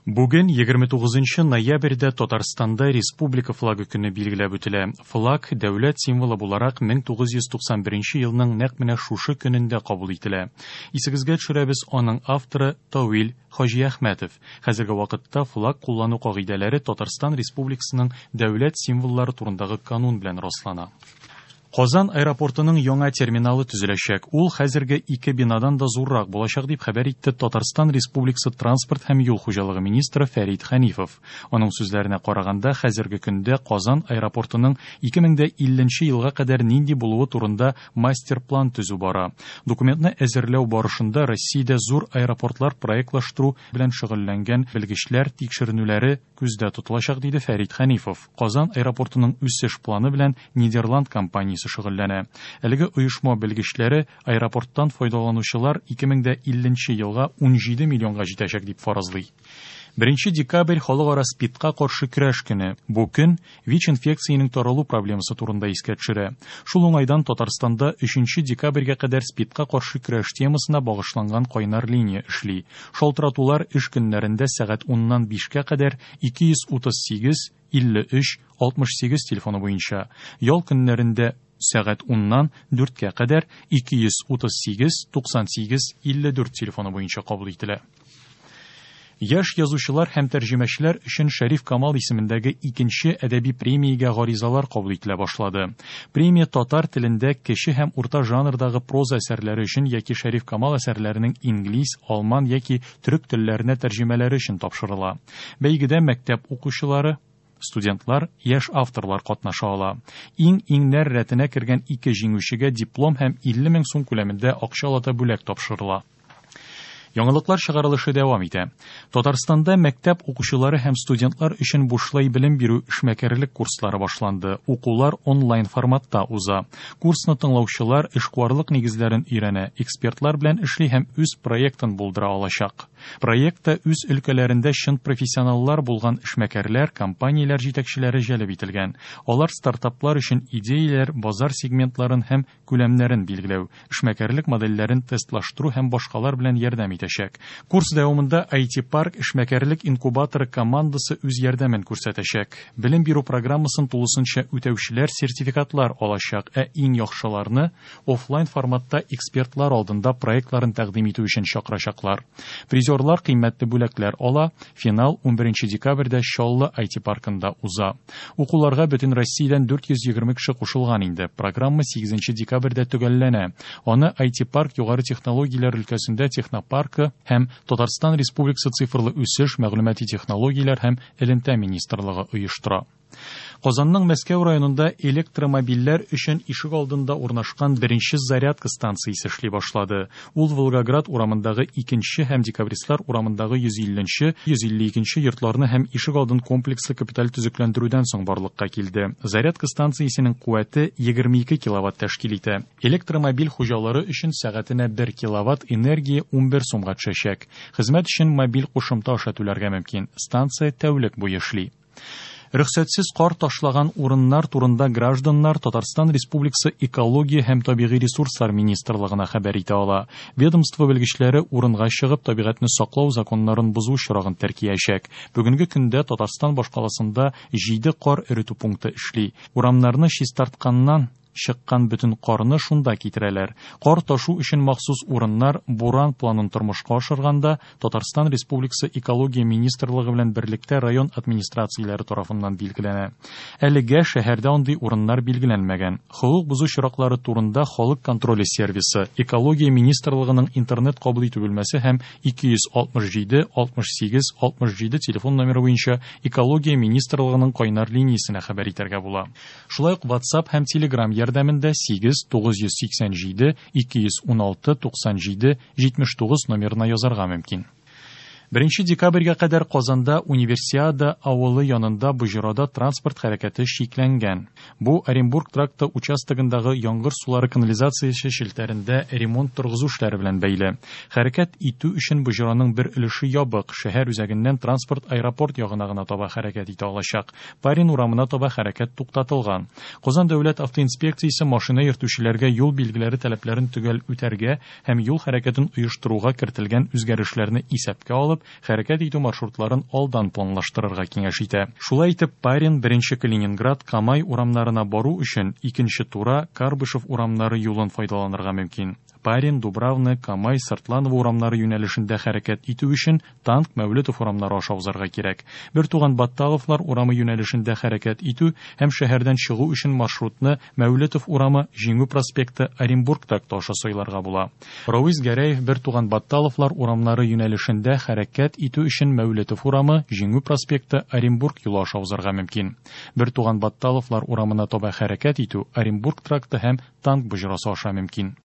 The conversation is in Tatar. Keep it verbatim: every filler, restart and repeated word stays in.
Бүген, егерме тугызынчы ноябрьдә, Татарстанда Республика флагы көне билгеләп үтелә. Флаг дәүләт символы буларак мең тугыз йөз туксан беренче елның нәкъ менә шушы көнендә кабул ителә. Исегезгә төшерәбез, аның авторы Тауил Хаҗиәхмәтов. Хәзерге вакытта флаг куллану кагыйдәләре Татарстан Республикасының дәүләт символлары турындагы канун белән раслана. Казан аэропортының яңа терминалы төзеләчәк. Ул хәзерге ике бинадан да зуррак булачак, дип хәбәр итте Татарстан Республикасы транспорт һәм юл хуҗалыгы министры Фәрит Хәнифов. Аның сүзләренә караганда, хәзерге көндә Казан аэропортының ике мең дә илленче елга кадәр нинди булуы турында мастер-план төзү бара. Документны әзерләү барышында Россиядә зур аэропортлар проектлаштыру белән шөгыльләнгән белгечләр тикшеренүләре күздә тотылачак, диде Фәрит Хәнифов. Казан аэропортының үсеш планы белән Нидерланд компаниясе шөгыльләнә. Әлеге оешма белгечләре аэропорттан файдаланучылар ике мең дә илленче елга ун җиде миллионга җитәчәк дип фаразлый. Беренче декабрь халыкара СПИДка каршы көрәш көне. Бу көн ВИЧ инфекциясенең таралу проблемасы турында искә төшерә. Шул уңайдан Татарстанда өченче декабрьгә кадәр СПИДка каршы көрәш темасына багышланган кайнар линия эшли. Шалтыратулар эш көннәрендә сәгать уннан бишкә кадәр ике йөз утыз сигез, илле өч, алтмыш сигез телефоны буенча. Ял көннәрендә сәгать уннан дүрткә кадәр ике йөз утыз сигез, туксан сигез, илле дүрт телефоны буенча кабул ителә. Яшь язучылар һәм тәрҗемәчеләр өчен Шәриф Камал исемендәге икенче әдәби премиягә гаризалар кабул ителә башлады. Премия татар телендә кече һәм урта жанрдагы проза әсәрләре өчен яки Шәриф Камал әсәрләренең инглиз, алман яки төрек телләренә тәрҗемәләре өчен тапшырыла. Бәйгедә мәктәп укучылары, студентлар, яшь авторлар катнаша ала. Иң-иңнәр рәтенә кергән ике җиңүчегә диплом һәм илле мең сум күләмендә акчалата бүләк тапшырыла. Яңалыклар чыгарылышы дәвам итә. Татарстанда мәктәп укучылары һәм студентлар өчен бушлай белем бирү эшмәкәрлек курслары башланды. Укулар онлайн форматта уза. Курсны тыңлаучылар эшкуарлык нигезләрен өйрәнә, экспертлар белән эшли һәм үз проектын булдыра алачак. Проектта үз өлкәләрендә чын профессионаллар булган эшмәкәрләр, компанияләр җитәкчеләре җәлеп ителгән. Алар стартаплар өчен идеяләр, базар сегментларын һәм күләмнәрен билгеләү, эшмәкәрлек модельләрен тестлаштыру һәм башкалар белән ярдәм итәчәк. Курс дәвамында ай ти парк эшмәкәрлек инкубаторы командасы үз ярдәмен күрсәтәчәк. Белем бирү программасын тулысынча үтәүчеләр сертификатлар алачак, ә иң яхшыларны офлайн форматта экспертлар алдында проектларын тәкъдим итү өчен чакырачаклар. Призерлар кыйммәтле бүләкләр ала. Финал унберенче декабрьдә Чаллы ай ти паркында уза. Укуларга бөтен Россиядән дүрт йөз егерме кеше кушылган инде. Программа сигезенче декабрьдә төгәлләнә. Аны ай ти парк югары технологияләр өлкәсендә технопаркы һәм Татарстан Республикасы цифрлы үсеш, мәгълүмати технологияләр һәм элемтә министрлыгы оештыра. Казанның Мәскәү районында электромобильләр өчен ишек алдында урнашкан беренче зарядка станциясе эшли башлады. Ул Волгоград урамындагы икенче һәм Декабристлар урамындагы йөз илленче, йөз илле икенче йортларны һәм ишек алдын комплекслы капиталь төзекләндерүдән соң барлыкка килде. Зарядка станциясенең куәте егерме ике киловатт тәшкил итә. Электромобиль хуҗалары өчен сәгатенә бер киловатт энергия унбер сумга төшәчәк. Хезмәт өчен мобиль кушымта аша түләргә мөмкин. Станция тәүлек буе эшли. Рөхсәтсез кар ташлаган урыннар турында гражданнар Татарстан Республикасы Экология һәм табигый ресурслар министрлыгына хәбәр итә ала. Ведомство белгечләре урынга чыгып табигатьне саклау законнарын бозу очрагын теркиячәк. Бүгенге көндә Татарстан башкаласында җиде кар эретү пункты эшли. Урамнарны чистартканнан чыккан бөтен карны шунда китерәләр. Кар ташу өчен махсус урыннар Буран планын тормышка ашырганда Татарстан Республикасы Экология министрлыгы белән берлектә район администрацияләре тарафыннан билгеләнә. Әлегә шәһәрдә андый урыннар билгеләнмәгән. Хокук бозу очраклары турында Халык контроле сервисы, Экология министрлыгының интернет кабул итү бүлмәсе һәм ике йөз алтмыш җиде, алтмыш сигез, алтмыш җиде телефон номеры буенча Экология министрлыгының кайнар линиясенә хәбәр итәргә була. Шулай ук WhatsApp һәм Telegram ярдәмендә сигез, тугыз йөз сиксән җиде, ике йөз уналты, туксан җиде, җитмеш тугыз номерына язарга мөмкин. Беренче декабрьгә кадәр Казанда Универсиада авылы янында Боҗырада транспорт хәрәкәте чикләнгән. Бу Оренбург тракты участогындагы яңгыр сулары канализациясе челтәрендә ремонт торгызу эшләре белән бәйле. Хәрәкәт итү өчен Боҗыраның бер өлеше ябык, шәһәр үзәгеннән транспорт аэропорт ягына гына таба хәрәкәт итә алачак. Парин урамына таба хәрәкәт туктатылган. Казан дәүләт автоинспекциясе машина йөртүчеләргә юл билгеләре таләпләрен төгәл үтәргә һәм юл хәрәкәтен оештыруга кертелгән үзгәрешләрне исәпкә алып, алып, хәрәкәт итү маршрутларын алдан планлаштырырга киңәш итә. Шулай итеп, Парин, Беренче Калининград, Камай урамнарына бару өчен Икенче Тура, Карбышев урамнары юлын файдаланырга мөмкин. Парин, Дубравны, Камай, Сыртланова урамнары юнәлешендә хәрәкәт итү өчен Танк, Мәүлетов урамнары аша узарга кирәк. Бертуган Батталовлар урамы юнәлешендә хәрәкәт итү һәм шәһәрдән чыгу өчен маршрутны Мәүлетов урамы, Җиңү проспекты, Оренбург тракты аша сайларга була. Равис Гәрәев, Бертуган Батталовлар урамнары юнәлешендә хәрәкәт итү өчен Мәүлетов урамы, Җиңү проспекты, Оренбург юлы аша узарга мөмкин. Бертуган Батталовлар урамына таба хәрәкәт итү Оренбург тракты һәм Танк боҗрасы аша мөмкин.